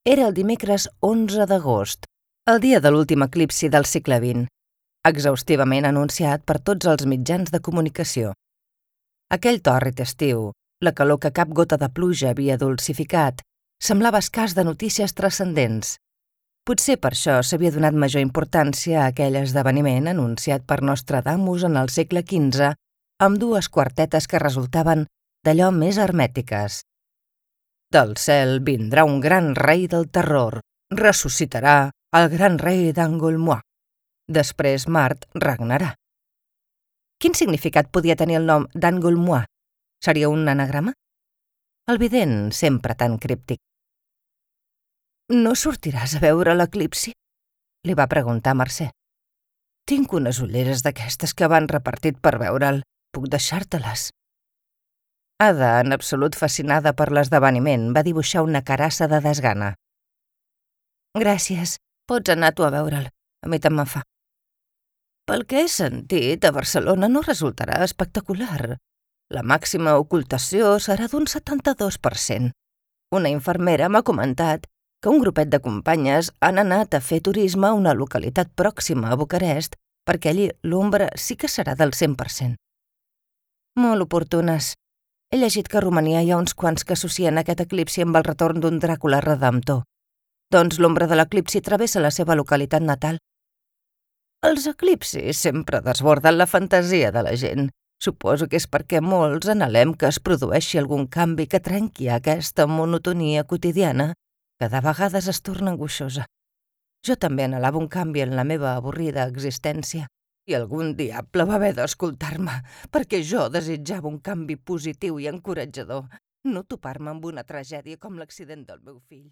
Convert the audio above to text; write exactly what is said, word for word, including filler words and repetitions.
Era el dimecres onze d'agost, el dia de l'últim eclipsi del segle vint, exhaustivament anunciat per tots els mitjans de comunicació. Aquell tòrrid estiu, la calor que cap gota de pluja havia dulcificat, semblava escàs de notícies transcendents. Potser per això s'havia donat major importància a aquell esdeveniment anunciat per Nostradamus en el segle quinze, amb dues quartetes que resultaven d'allò més hermètiques. Del cel vindrà un gran rei del terror, ressuscitarà el gran rei d'Angulmois. Després Mart regnarà. Quin significat podia tenir el nom d'Angulmois? Seria un anagrama? El vident, sempre tan críptic. «No sortiràs a veure l'eclipsi?» li va preguntar Mercè. «Tinc unes ulleres d'aquestes que van repartit per veure'l. Puc deixar-te-les?» Ada, en absolut fascinada per l'esdeveniment, va dibuixar una carassa de desgana. «Gràcies, pots anar tu a veure'l. A mi tant me'n fa. Pel que he sentit, a Barcelona no resultarà espectacular. La màxima ocultació serà d'un setanta-dos per cent. Una infermera m'ha comentat que un grupet de companyes han anat a fer turisme a una localitat pròxima a Bucarest perquè allí l'ombra sí que serà del cent per cent. Molt oportunes. He llegit que a Romania hi ha uns quants que associen aquest eclipsi amb el retorn d'un Dràcula redemptor. Doncs l'ombra de l'eclipsi travessa la seva localitat natal. Els eclipsis sempre desborden la fantasia de la gent. Suposo que és perquè molts anhelem que es produeixi algun canvi que trenqui aquesta monotonia quotidiana que de vegades es torna angoixosa. Jo també anhelava un canvi en la meva avorrida existència i algun diable va haver d'escoltar-me perquè jo desitjava un canvi positiu i encoratjador, no topar-me amb una tragèdia com l'accident del meu fill.